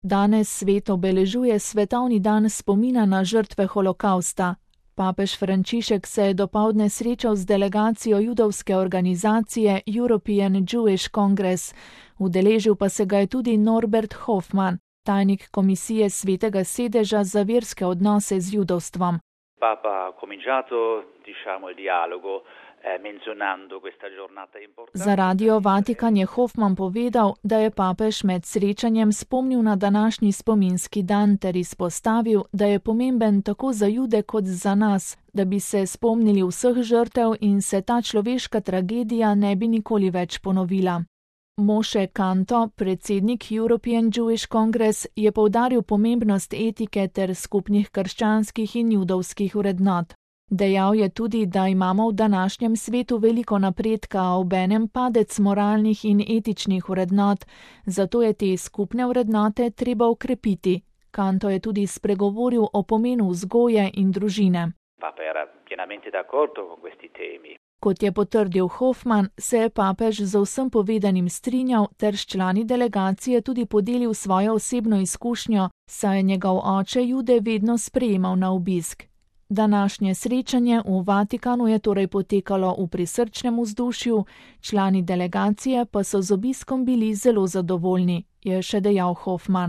Danes svet obeležuje svetovni dan spomina na žrtve holokausta. Papež Frančišek se je dopoldne srečal z delegacijo judovske organizacije European Jewish Congress. Udeležil pa se ga je tudi Norbert Hoffmann, tajnik komisije Svetega sedeža za verske odnose z judovstvom. Papa ha cominciato, il dialogo menzionando questa giornata importante. Za Radio Vatikan je Hoffmann povedal, da je papež med srečanjem spomnil na današnji spominski dan ter izpostavil, da je pomemben tako za Jude kot za nas, da bi se spomnili vseh žrtev in se ta človeška tragedija ne bi nikoli več ponovila. Moshe Kanto, predsednik European Jewish Congress, je poudaril pomembnost etike ter skupnih krščanskih in judovskih vrednot. Dejal je tudi, da imamo v današnjem svetu veliko napredka, a obenem padec moralnih in etičnih vrednot, zato je te skupne vrednote treba ukrepiti. Kanto je tudi spregovoril o pomenu vzgoje in družine. Papa era pienamente d'accordo con questi temi. Kot je potrdil Hoffmann, se je papež z vsem povedanim strinjal ter s člani delegacije tudi podelil svojo osebno izkušnjo, saj je njegov oče Jude vedno sprejemal na obisk. Današnje srečanje v Vatikanu je torej potekalo v prisrčnem vzdušju, člani delegacije pa so z obiskom bili zelo zadovoljni, je še dejal Hoffmann.